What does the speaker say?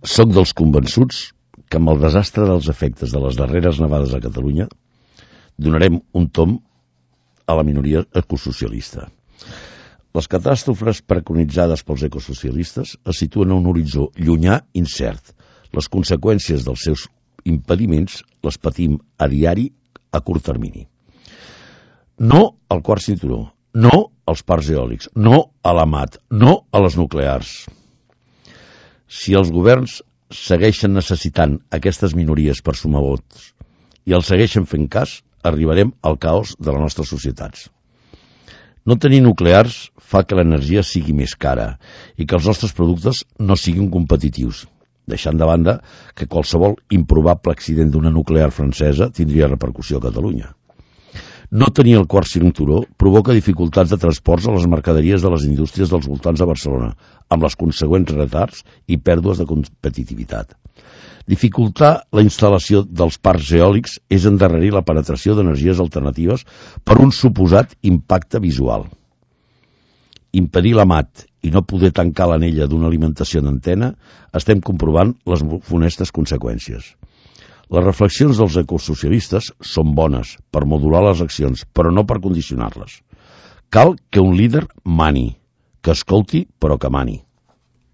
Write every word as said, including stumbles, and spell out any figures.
Soc dels convençuts que amb el desastre dels efectes de les darreres nevades a Catalunya donarem un tomb a la minoria ecosocialista. Les catàstrofes preconitzades pels ecosocialistes es situen a un horitzó llunyà incert. Les conseqüències dels seus impediments les patim a diari a curt termini. No al quart cinturó, no als parcs eòlics, no a la M A T, no a les nuclears. Si els governs segueixen necessitant aquestes minories per sumar vots i els segueixen fent cas, arribarem al caos de les nostres societats. No tenir nuclears fa que l'energia sigui més cara i que els nostres productes no siguin competitius, deixant de banda que qualsevol improbable accident d'una nuclear francesa tindria repercussió a Catalunya. No tenir el quart cinturó provoca dificultats de transports a les mercaderies de les indústries dels voltants de Barcelona, amb les consegüents retards i pèrdues de competitivitat. Dificultar la instal·lació dels parcs eòlics és endarrerir la penetració d'energies alternatives per un suposat impacte visual. Impedir la M A T i no poder tancar l'anella d'una alimentació d'antena, estem comprovant les funestes conseqüències. Les reflexions dels ecosocialistes són bones per modular les accions, però no per condicionar-les. Cal que un líder mani, que escolti però que mani.